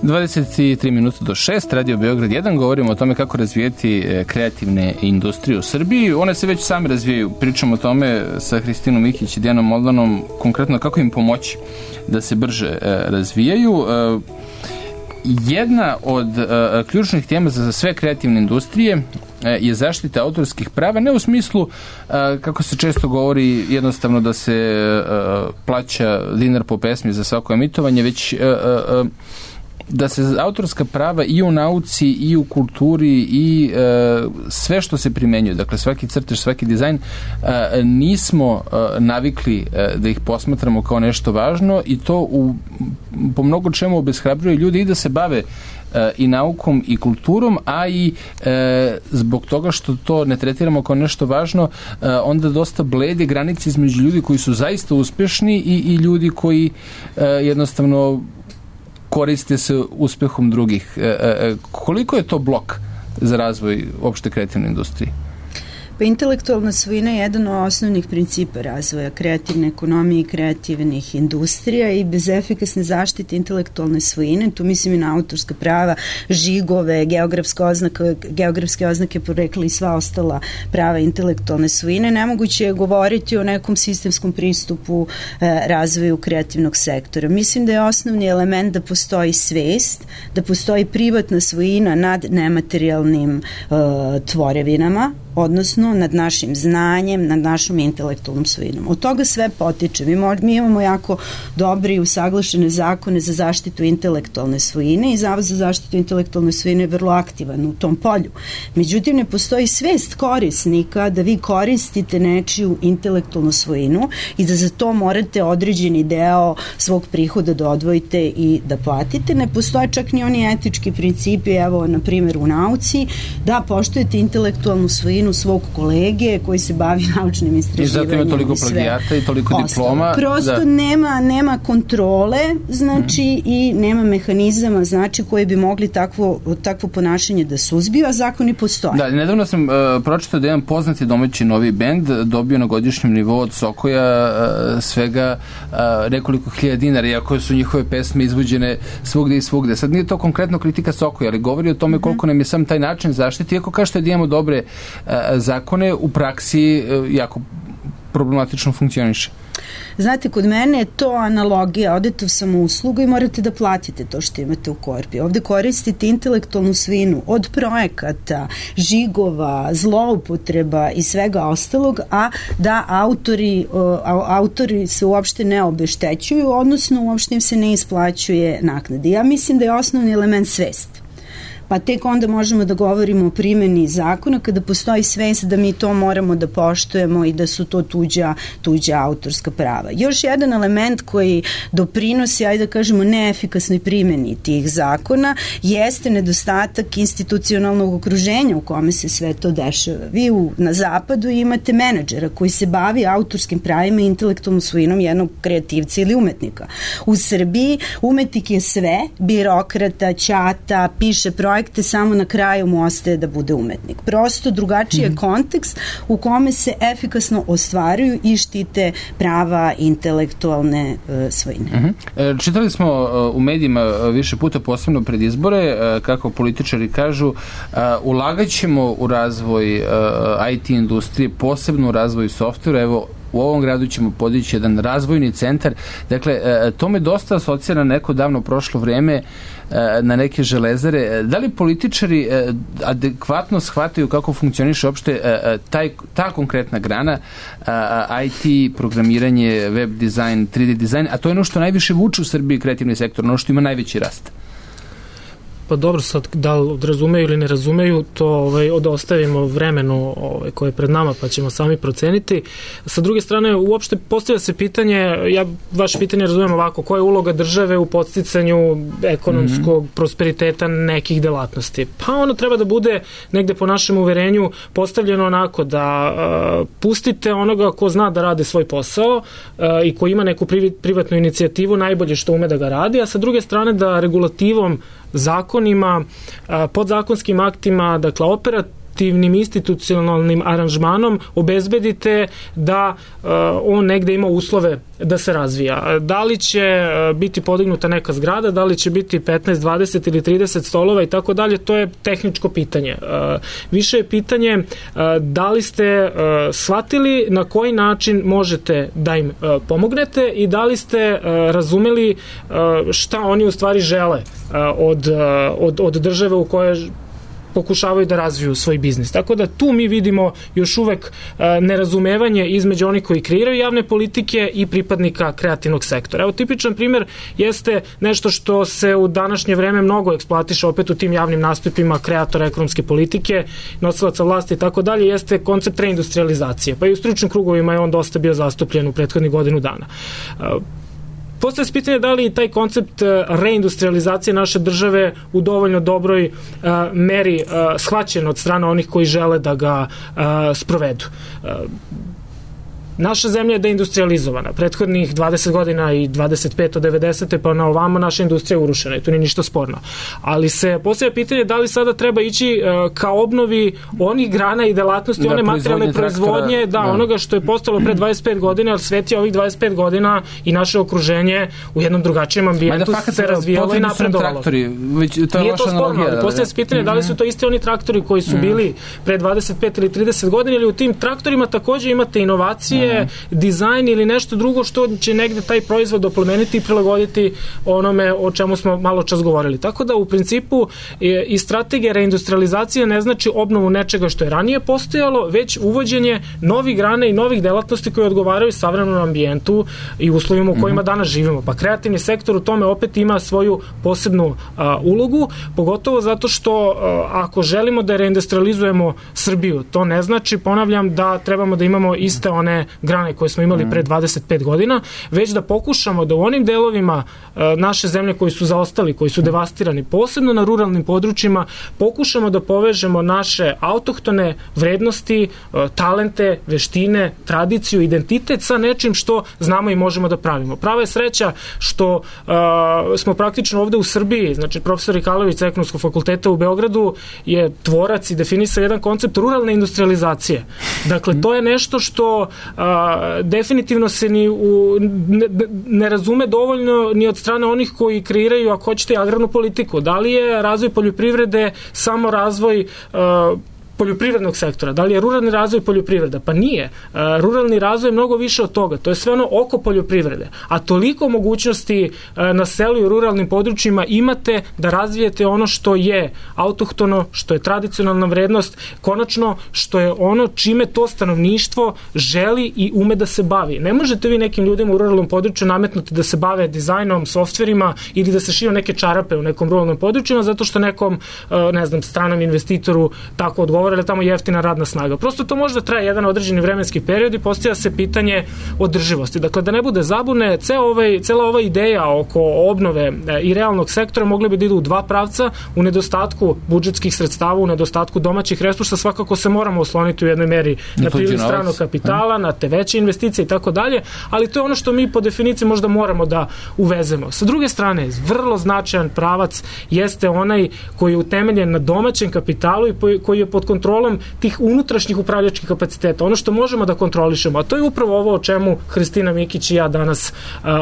23 minuta do 6, Radio Beograd 1, govorimo o tome kako razvijeti kreativne industrije u Srbiji. One se već same razvijaju, pričamo o tome sa Hristinom Mikić i Dijanom Moldanom, konkretno kako im pomoći da se brže razvijaju. Jedna od ključnih tema za sve kreativne industrije je zaštita autorskih prava, ne u smislu, kako se često govori, jednostavno da se plaća dinar po pesmi za svako emitovanje, već da se autorska prava i u nauci i u kulturi i sve što se primenjuje, dakle svaki crtež, svaki dizajn, nismo navikli da ih posmatramo kao nešto važno i to po mnogo čemu obeshrabruje ljudi i da se bave i naukom i kulturom, a i zbog toga što to ne tretiramo kao nešto važno, onda dosta blede granice između ljudi koji su zaista uspešni i ljudi koji jednostavno koriste se uspehom drugih. Koliko je to blok za razvoj opšte kreativne industrije? Pa intelektualna svojina je jedan od osnovnih principa razvoja kreativne ekonomije i kreativnih industrija i bez efikasne zaštite intelektualne svojine, tu mislim i na autorska prava, žigove, geografske oznake porekla i sva ostala prava intelektualne svojine, nemoguće je govoriti o nekom sistemskom pristupu razvoju kreativnog sektora. Mislim da je osnovni element da postoji svest, da postoji privatna svojina nad nematerijalnim tvorevinama, odnosno nad našim znanjem, nad našom intelektualnom svojinom. Od toga sve potiče. Mi imamo jako dobre i usaglašene zakone za zaštitu intelektualne svojine i Zavod za zaštitu intelektualne svojine je vrlo aktivan u tom polju. Međutim, ne postoji svest korisnika da vi koristite nečiju intelektualnu svojinu i da za to morate određeni deo svog prihoda da odvojite i da platite. Ne postoje čak ni oni etički principi, evo, na primjer, u nauci, da poštujete intelektualnu svojinu svog kolege koji se bavi naučnim istraživanjem. I zato ima toliko plagijata i toliko diploma. Prosto nema kontrole, znači, i nema mehanizama, znači, koji bi mogli takvo ponašanje da suzbiju, a zakoni postoje. Da, nedavno sam pročitao da jedan poznati domaći novi bend dobio na godišnjem nivou od Sokoja svega nekoliko hiljada dinara, iako su njihove pesme izvođene svugde i svugde. Sad nije to konkretno kritika Sokoja, ali govori o tome koliko nam je sam taj način zaštiti, iako kažete da imamo dobre zakone, u praksi jako problematično funkcioniše. Znate, kod mene je to analogija, odete u samouslugu i morate da platite to što imate u korpi. Ovde koristite intelektualnu svojinu od projekata, žigova, zloupotreba i svega ostalog, a da autori se uopšte ne obeštećuju, odnosno uopšte im se ne isplaćuje naknade. Ja mislim da je osnovni element svest. Pa tek onda možemo da govorimo o primjeni zakona kada postoji svest da mi to moramo da poštujemo i da su to tuđa autorska prava. Još jedan element koji doprinosi, ajde da kažemo, neefikasnoj primjeni tih zakona jeste nedostatak institucionalnog okruženja u kome se sve to dešava. Vi na zapadu imate menadžera koji se bavi autorskim pravima i intelektualnom svojinom jednog kreativca ili umetnika. U Srbiji umetnik je sve, birokrata, ćata, piše projekte, samo na kraju mu ostaje da bude umetnik. Prosto drugačiji je kontekst u kome se efikasno ostvaruju i štite prava intelektualne svojine. Čitali smo u medijima više puta, posebno pred izbore, kako političari kažu, ulagat ćemo u razvoj IT industrije, posebno u razvoj softvera. Evo, u ovom gradu ćemo podići jedan razvojni centar. Dakle, to me dosta asocira na neko davno prošlo vreme, na neke železare. Da li političari adekvatno shvataju kako funkcioniše uopšte ta konkretna grana, IT, programiranje, web dizajn, 3D dizajn, a to je ono što najviše vuče u Srbiji kreativni sektor, ono što ima najveći rast? Pa dobro, sad da li razumeju ili ne razumeju, to odostavimo vremenu koje je pred nama, pa ćemo sami proceniti. Sa druge strane, uopšte postavlja se pitanje, ja vaše pitanje razumem ovako, koja je uloga države u podsticanju ekonomskog prosperiteta nekih delatnosti? Pa ono treba da bude negde po našem uverenju postavljeno onako da pustite onoga ko zna da radi svoj posao i ko ima neku privatnu inicijativu, najbolje što ume da ga radi, a sa druge strane da regulativom, zakonima, podzakonskim aktima, dakle korporativnim institucionalnim aranžmanom obezbedite da on negde ima uslove da se razvija. Da li će biti podignuta neka zgrada, da li će biti 15, 20 ili 30 stolova i tako dalje, to je tehničko pitanje. Više je pitanje da li ste shvatili na koji način možete da im pomognete i da li ste razumeli šta oni u stvari žele od države u kojoj pokušavaju da razviju svoj biznis. Tako da tu mi vidimo još uvek nerazumevanje između onih koji kreiraju javne politike i pripadnika kreativnog sektora. Evo, tipičan primer jeste nešto što se u današnje vreme mnogo eksploatiše opet u tim javnim nastupima kreatora ekonomske politike, nosilaca vlasti i tako dalje, jeste koncept reindustrializacije. Pa i u stručnim krugovima je on dosta bio zastupljen u prethodnih godinu dana. Postoje se pitanje da li taj koncept reindustrializacije naše države u dovoljno dobroj meri shvaćen od strane onih koji žele da ga sprovedu. Naša zemlja je deindustrializovana. Prethodnih 20 godina i 25 od 90. pa na ovamo naša industrija je urušena i tu nije ništa sporno. Ali se postavlja pitanje da li sada treba ići ka obnovi onih grana i delatnosti, one materijalne proizvodnje, onoga što je postalo pre 25 godina, jer svet je ovih 25 godina i naše okruženje u jednom drugačijem ambijentu se razvijalo i napredovalo. Nije to sporno, ali postavlja se pitanje da li su to isti oni traktori koji su bili pre 25 ili 30 godina, ili u tim traktorima takođe imate inovacije, dizajn ili nešto drugo što će negde taj proizvod oplemeniti i prilagoditi onome o čemu smo malo čas govorili. Tako da u principu i strategija reindustrializacije ne znači obnovu nečega što je ranije postojalo, već uvođenje novih grana i novih delatnosti koje odgovaraju savremenom ambijentu i uslovima u kojima danas živimo. Pa kreativni sektor u tome opet ima svoju posebnu ulogu, pogotovo zato što ako želimo da reindustrializujemo Srbiju, to ne znači, ponavljam, da trebamo da imamo iste one grane koje smo imali pre 25 godina, već da pokušamo da u onim delovima naše zemlje koji su zaostali, koji su devastirani, posebno na ruralnim područjima, pokušamo da povežemo naše autohtone vrednosti, talente, veštine, tradiciju, identitet sa nečim što znamo i možemo da pravimo. Prava je sreća što smo praktično ovde u Srbiji, znači profesor Rikalović sa Ekonomskog fakulteta u Beogradu je tvorac i definisao jedan koncept ruralne industrializacije. Dakle, to je nešto što definitivno se ne razume dovoljno ni od strane onih koji kreiraju, ako hoćete, agrarnu politiku. Da li je razvoj poljoprivrede samo razvoj poljoprivrednog sektora, da li je ruralni razvoj poljoprivreda? Pa nije. Ruralni razvoj je mnogo više od toga. To je sve ono oko poljoprivrede. A toliko mogućnosti na selu i ruralnim područjima imate da razvijete ono što je autohtono, što je tradicionalna vrednost, konačno što je ono čime to stanovništvo želi i ume da se bavi. Ne možete vi nekim ljudima u ruralnom području nametnuti da se bave dizajnom, softverima ili da se šiju neke čarape u nekom ruralnom područjima zato što nekom, ne znam, stranom investitoru tako odgovara, ali tamo jeftina radna snaga. Prosto to može da traje jedan određeni vremenski period i postavlja se pitanje održivosti. Dakle, da ne bude zabune, cela ova ideja oko obnove i realnog sektora mogli bi da idu u dva pravca. U nedostatku budžetskih sredstava, u nedostatku domaćih resursa, svakako se moramo osloniti u jednoj meri na priliv stranog kapitala, na te veće investicije i tako dalje, ali to je ono što mi po definiciji možda moramo da uvezemo. Sa druge strane, vrlo značajan pravac jeste onaj koji je utemeljen na domaćem kapitalu i koji je pod kontrolom tih unutrašnjih upravljačkih kapaciteta. Ono što možemo da kontrolišemo, a to je upravo ovo o čemu Hristina Mikić i ja danas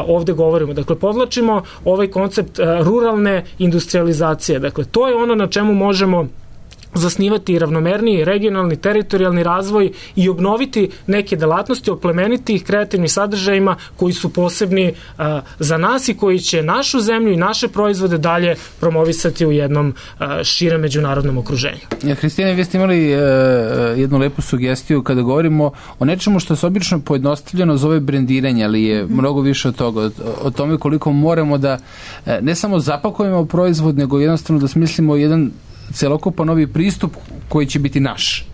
ovde govorimo. Dakle, podvlačimo ovaj koncept ruralne industrializacije. Dakle, to je ono na čemu možemo zasnivati ravnomerniji, regionalni, teritorijalni razvoj i obnoviti neke delatnosti, oplemeniti ih kreativnim sadržajima koji su posebni za nas i koji će našu zemlju i naše proizvode dalje promovisati u jednom širem međunarodnom okruženju. Hristina, vi ste imali jednu lepu sugestiju kada govorimo o nečemu što se obično pojednostavljeno zove brendiranje, ali je mnogo više od toga, o tome koliko moramo da ne samo zapakujemo proizvod, nego jednostavno da smislimo jedan celokupan novi pristup koji će biti naš.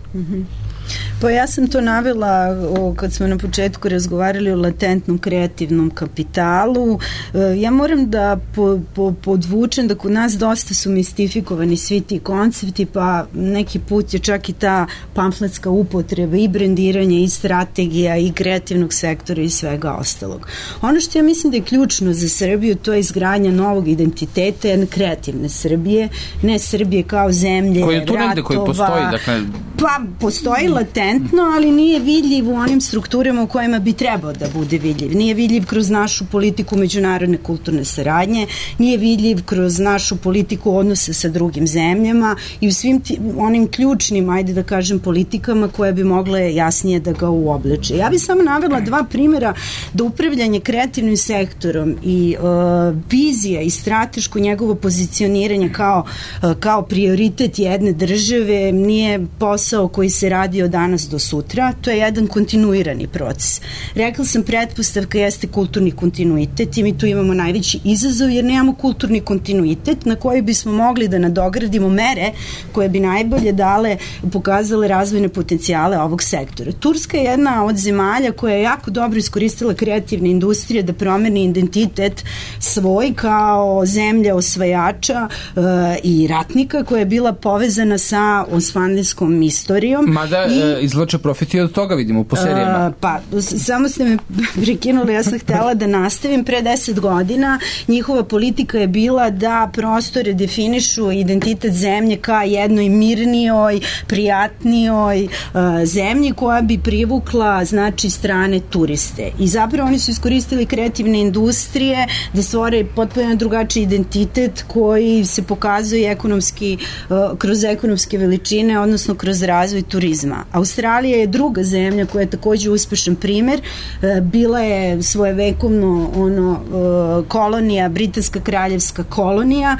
Pa ja sam to navela kad smo na početku razgovarali o latentnom kreativnom kapitalu. Ja moram da podvučem da kod nas dosta su mistifikovani svi ti koncepti, pa neki put je čak i ta pamfletska upotreba i brendiranje i strategija i kreativnog sektora i svega ostalog. Ono što ja mislim da je ključno za Srbiju, to je izgradnja novog identiteta jedne kreativne Srbije, ne Srbije kao zemlje koji je tu negde, koji postoji, dakle... Pa postoji latentno, ali nije vidljiv u onim strukturama u kojima bi trebao da bude vidljiv. Nije vidljiv kroz našu politiku međunarodne kulturne saradnje, nije vidljiv kroz našu politiku odnose sa drugim zemljama i u svim onim ključnim, ajde da kažem, politikama koje bi mogle jasnije da ga uobliče. Ja bih samo navela dva primjera da upravljanje kreativnim sektorom i vizija i strateško njegovo pozicioniranje kao prioritet jedne države nije posao koji se radi od danas do sutra, to je jedan kontinuirani proces. Rekla sam, pretpostavka jeste kulturni kontinuitet i mi tu imamo najveći izazov jer nemamo kulturni kontinuitet na koji bismo mogli da nadogradimo mere koje bi najbolje pokazale razvojne potencijale ovog sektora. Turska je jedna od zemalja koja je jako dobro iskoristila kreativne industrije da promeni identitet svoj kao zemlja osvajača i ratnika koja je bila povezana sa osmanlijskom istorijom. Mada izvlače profit i od toga vidimo po serijama. Pa, samo ste me prekinuli, ja sam htela da nastavim. Pre 10 godina njihova politika je bila da prostore definišu identitet zemlje ka jednoj mirnijoj, prijatnijoj zemlji koja bi privukla, znači, strane turiste. I zapravo oni su iskoristili kreativne industrije da stvore potpuno drugačiji identitet koji se pokazuje kroz ekonomske veličine, odnosno kroz razvoj turizma. Australija je druga zemlja koja je takođe uspešan primer. Bila je svojevekovno kolonija, britanska kraljevska kolonija.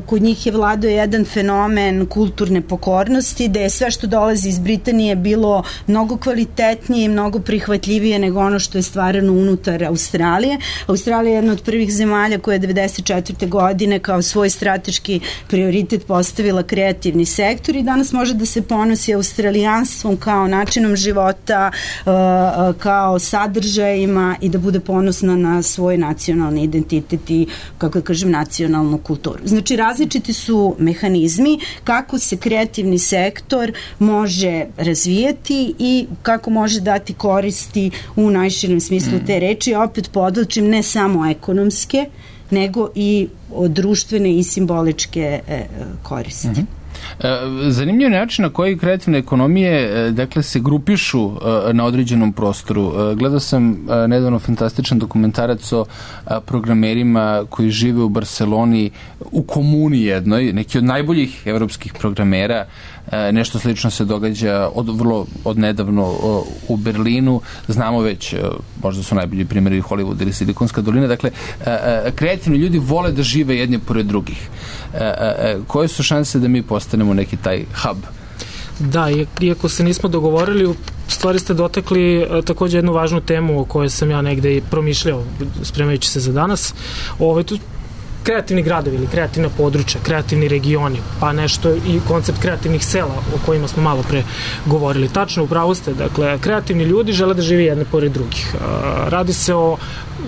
Kod njih je vladao jedan fenomen kulturne pokornosti, da je sve što dolazi iz Britanije bilo mnogo kvalitetnije i mnogo prihvatljivije nego ono što je stvarano unutar Australije. Australija je jedna od prvih zemalja koja je 1994. godine kao svoj strateški prioritet postavila kreativni sektor i danas može da se ponosi australijanstvom kao načinom života, kao sadržajima i da bude ponosna na svoj nacionalni identitet i, kako da kažem, nacionalnu kulturu. Znači, različiti su mehanizmi kako se kreativni sektor može razvijeti i kako može dati koristi u najširem smislu te reči. Opet podlačim, ne samo ekonomske, nego i društvene i simboličke koristi. Zanimljiv način na koji kreativne ekonomije dakle se grupišu na određenom prostoru. Gledao sam nedavno fantastičan dokumentarac o programerima koji žive u Barceloni u komuni jednoj, neki od najboljih evropskih programera. Nešto slično se događa od nedavno u Berlinu. Znamo već, možda su najbolji primjeri Hollywood ili Silikonska dolina. Dakle, kreativni ljudi vole da žive jedni pored drugih. Koje su šanse da mi postanemo neki taj hub? Da, iako se nismo dogovorili, u stvari ste dotakli takođe jednu važnu temu o kojoj sam ja negde i promišljao spremajući se za danas. Tu kreativni gradovi ili kreativna područja, kreativni regioni, pa nešto i koncept kreativnih sela o kojima smo malo pre govorili. Tačno, upravo ste, dakle, kreativni ljudi žele da žive jedne pored drugih. Radi se o,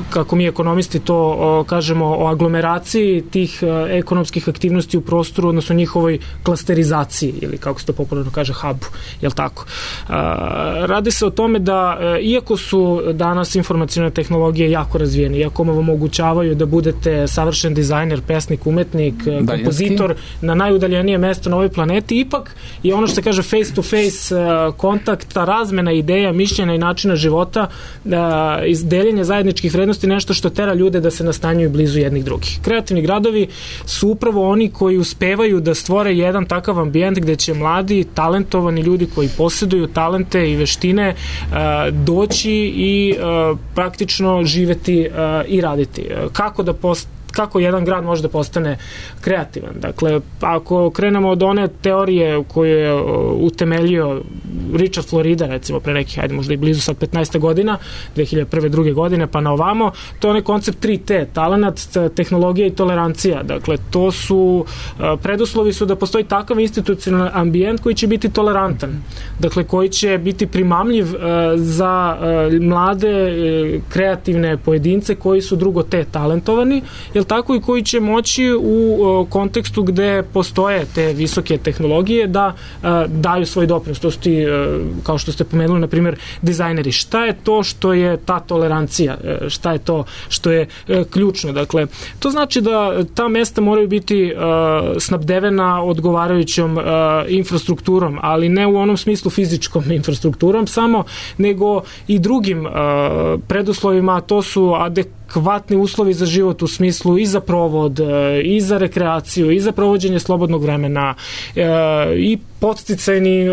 kako mi ekonomisti to kažemo, o aglomeraciji tih ekonomskih aktivnosti u prostoru, odnosno njihovoj klasterizaciji, ili kako se to popularno kaže, hubu, jel tako? Radi se o tome da, iako su danas informacione tehnologije jako razvijene, iako vam omogućavaju da budete savršen dizajner, pesnik, umetnik, kompozitor na najudaljenijem mestu na ovoj planeti, ipak je ono što se kaže face to face kontakt, ta razmena ideja, mišljenja i načina života, deljenje zajedničkih vrednosti, nešto što tera ljude da se nastanjuju blizu jednih drugih. Kreativni gradovi su upravo oni koji uspevaju da stvore jedan takav ambijent gde će mladi, talentovani ljudi koji posjeduju talente i veštine kako jedan grad može da postane kreativan. Dakle, ako krenemo od one teorije koju je utemeljio Richard Florida, recimo pre nekih, ajde možda i blizu sad 15 godina, 2001. druge godine, pa na ovamo, to je onaj koncept 3T, talenat, tehnologija i tolerancija. Dakle, to su, preduslovi su da postoji takav institucionalni ambijent koji će biti tolerantan. Dakle, koji će biti primamljiv za mlade, kreativne pojedince koji su drugo T talentovani, jel tako, i koji će moći u kontekstu gde postoje te visoke tehnologije da daju svoj doprinos. To su ti, kao što ste pomenuli, na primjer, dizajneri. Šta je to što je ta tolerancija? Šta je to što je ključno? Dakle, to znači da ta mesta moraju biti snabdevena odgovarajućom infrastrukturom, ali ne u onom smislu fizičkom infrastrukturom samo, nego i drugim preduslovima. To su adekvatni uslovi za život u smislu i za provod, i za rekreaciju, i za provođenje slobodnog vremena, i podsticajni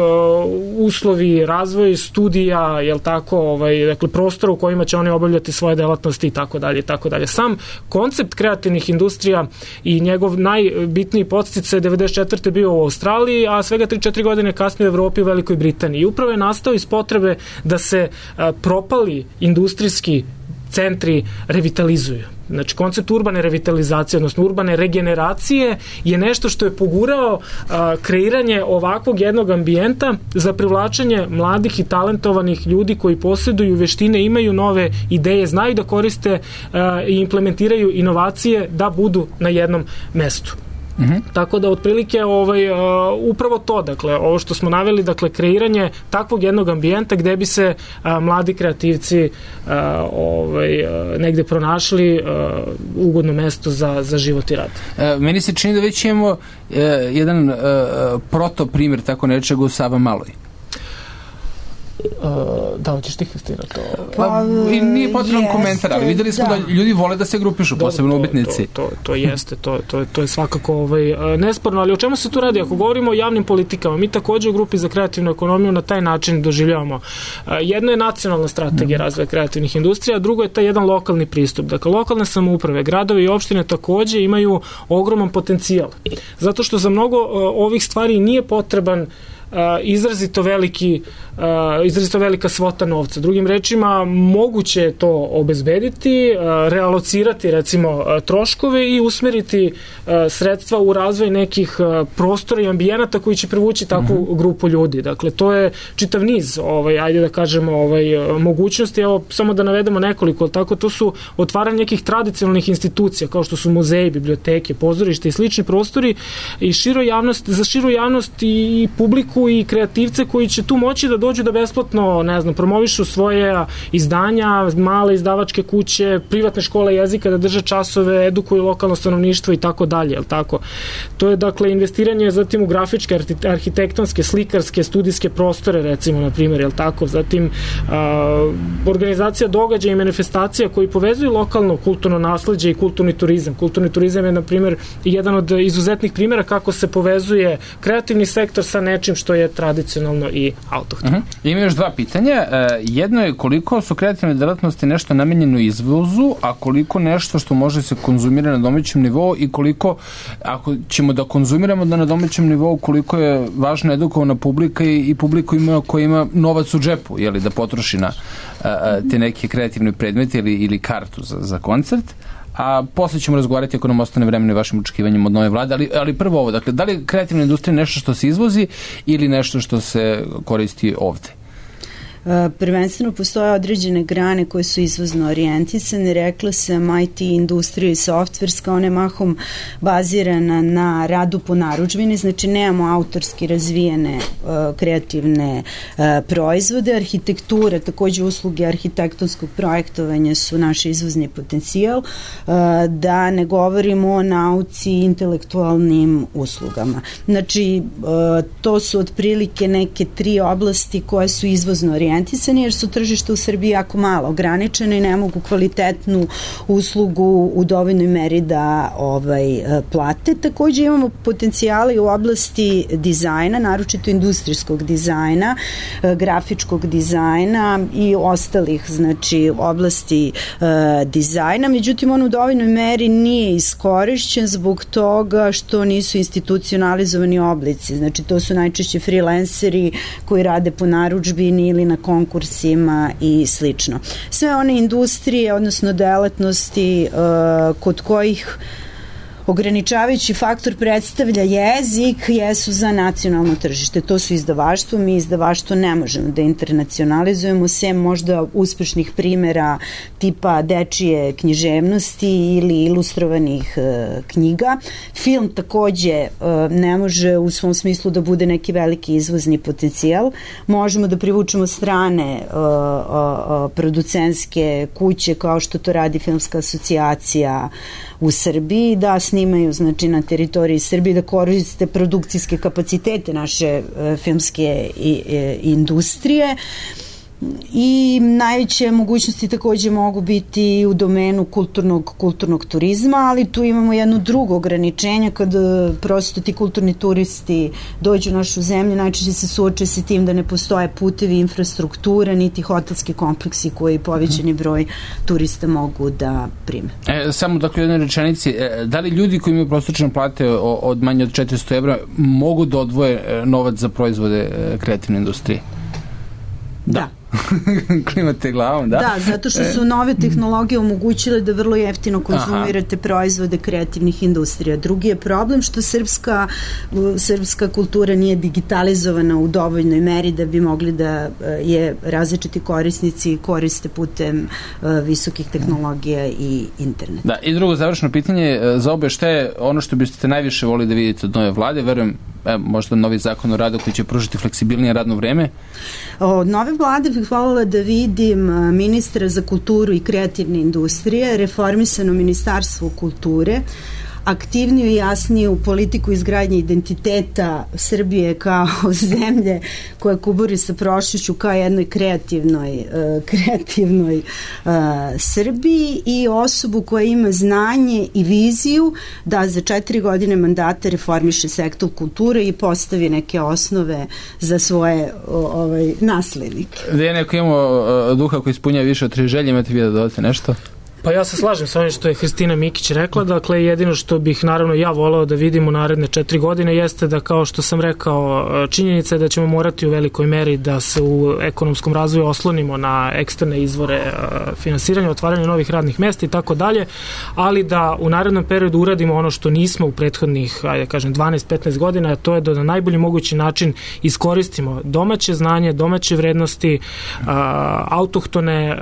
uslovi, razvoj studija, jel tako, dakle, prostora u kojima će oni obavljati svoje delatnosti i tako dalje, i tako dalje. Sam koncept kreativnih industrija i njegov najbitniji podsticaj 94. bio u Australiji, a svega 3-4 godine kasnije u Evropi i Velikoj Britaniji. I upravo je nastao iz potrebe da se propali industrijski centri revitalizuju. Znači, koncept urbane revitalizacije, odnosno urbane regeneracije je nešto što je pogurao kreiranje ovakvog jednog ambijenta za privlačenje mladih i talentovanih ljudi koji posjeduju veštine, imaju nove ideje, znaju da koriste i implementiraju inovacije da budu na jednom mestu. Tako da otprilike upravo to, dakle, ovo što smo naveli, dakle, kreiranje takvog jednog ambijenta gde bi se mladi kreativci negde pronašli ugodno mesto za život i rad. Meni se čini da već imamo jedan protoprimjer tako nečega u Savamaloj. Da, hoćeš ti, Kristina, to... I nije potreban komentar, ali videli smo da ljudi vole da se grupišu, posebno ubitnici. To jeste, to je svakako nesporno, ali o čemu se tu radi? Ako govorimo o javnim politikama, mi takođe u grupi za kreativnu ekonomiju na taj način doživljavamo. Jedno je nacionalna strategija razvoja kreativnih industrija, a drugo je taj jedan lokalni pristup. Dakle, lokalne samouprave, gradovi i opštine takođe imaju ogroman potencijal. Zato što za mnogo ovih stvari nije potreban izrazito velika svota novca. Drugim rečima, moguće je to obezbediti, realocirati recimo troškove i usmeriti sredstva u razvoj nekih prostora i ambijenata koji će privući takvu grupu ljudi. Dakle, to je čitav niz, ajde da kažemo, mogućnosti. Evo, samo da navedemo nekoliko, tako, to su otvaranje nekih tradicionalnih institucija, kao što su muzeji, biblioteke, pozorište i slični prostori i za širu javnost i publiku i kreativce koji će tu moći da dođu da besplatno, promovišu svoje izdanja, male izdavačke kuće, privatne škole jezika, da drže časove, edukuju lokalno stanovništvo i tako dalje, jel tako? To je, dakle, investiranje zatim u grafičke, arhitektonske, slikarske, studijske prostore, recimo, na primjer, jel tako? Zatim, organizacija događaja i manifestacija koji povezuju lokalno kulturno nasleđe i kulturni turizam. Kulturni turizam je, na primjer, jedan od izuzetnih primjera kako se povezuje kreativni sektor sa nečim što je tradicionalno i autohtono. Ima još dva pitanja. Jedno je koliko su kreativne delatnosti nešto namenjeno izvozu, a koliko nešto što može se konzumira na domaćem nivou i koliko, ako ćemo da konzumiramo na domaćem nivou, koliko je važna edukovana publika i publika koja ima novac u džepu, jeli, da potroši na te neke kreativne predmete ili kartu za koncert. A posle ćemo razgovarati ako nam ostane vremena i vašim očekivanjem od nove vlade, ali prvo ovo, dakle, da li je kreativna industrija nešto što se izvozi ili nešto što se koristi ovde? Prvenstveno postoje određene grane koje su izvozno orijentisane, rekla sam IT industrija i softverska, ona je mahom bazirana na radu po narudžbini, znači nemamo autorski razvijene kreativne proizvode. Arhitektura, takođe usluge arhitektonskog projektovanja su naš izvozni potencijal, da ne govorimo o nauci i intelektualnim uslugama. Znači, to su otprilike neke tri oblasti koje su izvozno orijentisane. orijentisani jer su tržište u Srbiji jako malo ograničene i ne mogu kvalitetnu uslugu u dovoljnoj meri da plate. Takođe imamo potencijale i u oblasti dizajna, naročito industrijskog dizajna, grafičkog dizajna i ostalih, znači, oblasti dizajna. Međutim, on u dovoljnoj meri nije iskorišćen zbog toga što nisu institucionalizovani oblici. Znači, to su najčešće freelanceri koji rade po narudžbini ili na konkursima i slično. Sve one industrije, odnosno delatnosti kod kojih ograničavajući faktor predstavlja jezik jesu za nacionalno tržište. To su izdavaštvo. Mi izdavaštvo ne možemo da internacionalizujemo, sem možda uspešnih primera tipa dečije književnosti ili ilustrovanih knjiga. Film takođe ne može u svom smislu da bude neki veliki izvozni potencijal. Možemo da privučemo strane producentske kuće kao što to radi Filmska asocijacija u Srbiji, da snimaju, znači, na teritoriji Srbije, da koriste produkcijske kapacitete naše filmske industrije. I najveće mogućnosti takođe mogu biti u domenu kulturnog turizma, ali tu imamo jedno drugo ograničenje kada prosto ti kulturni turisti dođu u našu zemlju, najčešće se suoče sa tim da ne postoje putevi, infrastruktura, niti hotelski kompleksi koji povećani broj turista mogu da prime. Samo dakle u jednoj rečenici, da li ljudi koji imaju prosječne plate od manje od 400 evra mogu da odvoje novac za proizvode kreativne industrije? Da. Klimate glavom, da? Da, zato što su nove tehnologije omogućile da vrlo jeftino konzumirate proizvode kreativnih industrija. Drugi je problem što srpska kultura nije digitalizovana u dovoljnoj meri da bi mogli da je različiti korisnici koriste putem visokih tehnologija i interneta. Da, i drugo završeno pitanje za obe, šta je ono što biste najviše volili da vidite od nove vlade? Verujem, možda novi zakon o radu koji će pružiti fleksibilnije radno vreme? Od nove vlade bih voljela da vidim ministra za kulturu i kreativne industrije, reformisano ministarstvo kulture, aktivniju i jasniju politiku izgradnje identiteta Srbije kao zemlje koja kuburi sa prošlošću kao jednoj kreativnoj Srbiji i osobu koja ima znanje i viziju da za 4 godine mandata reformiše sektor kulture i postavi neke osnove za svoje naslednike. Da je neko imao duha koji ispunja više od 3 želje, imate vi da dodate nešto? Pa ja se slažem sa onim što je Hristina Mikić rekla, dakle jedino što bih naravno ja voleo da vidim u naredne 4 godine jeste da, kao što sam rekao, činjenica je da ćemo morati u velikoj meri da se u ekonomskom razvoju oslonimo na eksterne izvore finansiranja, otvaranja novih radnih mesta i tako dalje, ali da u narednom periodu uradimo ono što nismo u prethodnih, ajde kažem, 12-15 godina, a to je da na najbolji mogući način iskoristimo domaće znanje, domaće vrednosti, autohtone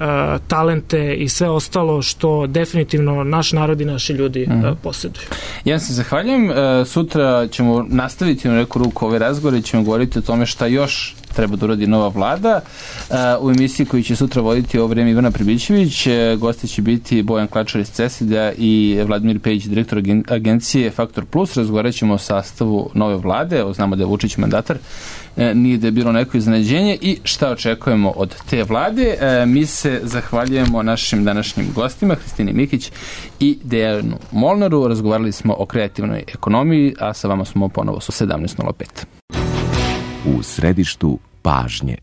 talente i sve ostalo što definitivno naš narod i naši ljudi posjeduju. Ja se zahvaljujem. Sutra ćemo nastaviti na neku ruku ove razgovore i ćemo govoriti o tome šta još treba da uradi nova vlada. U emisiji koju će sutra voditi ovo vreme Ivana Pribićević, gosti će biti Bojan Klačar iz CESID-a i Vladimir Pejić, direktor agencije Faktor Plus. Razgovarat ćemo o sastavu nove vlade, znamo da je Vučić mandatar, nije da je bilo neko iznenađenje i šta očekujemo od te vlade. Mi se zahvaljujemo našim današnjim gostima, Hristini Mikić i Dejanu Molnaru. Razgovarali smo o kreativnoj ekonomiji, a sa vama smo ponovo su 17:05. U središtu pažnje.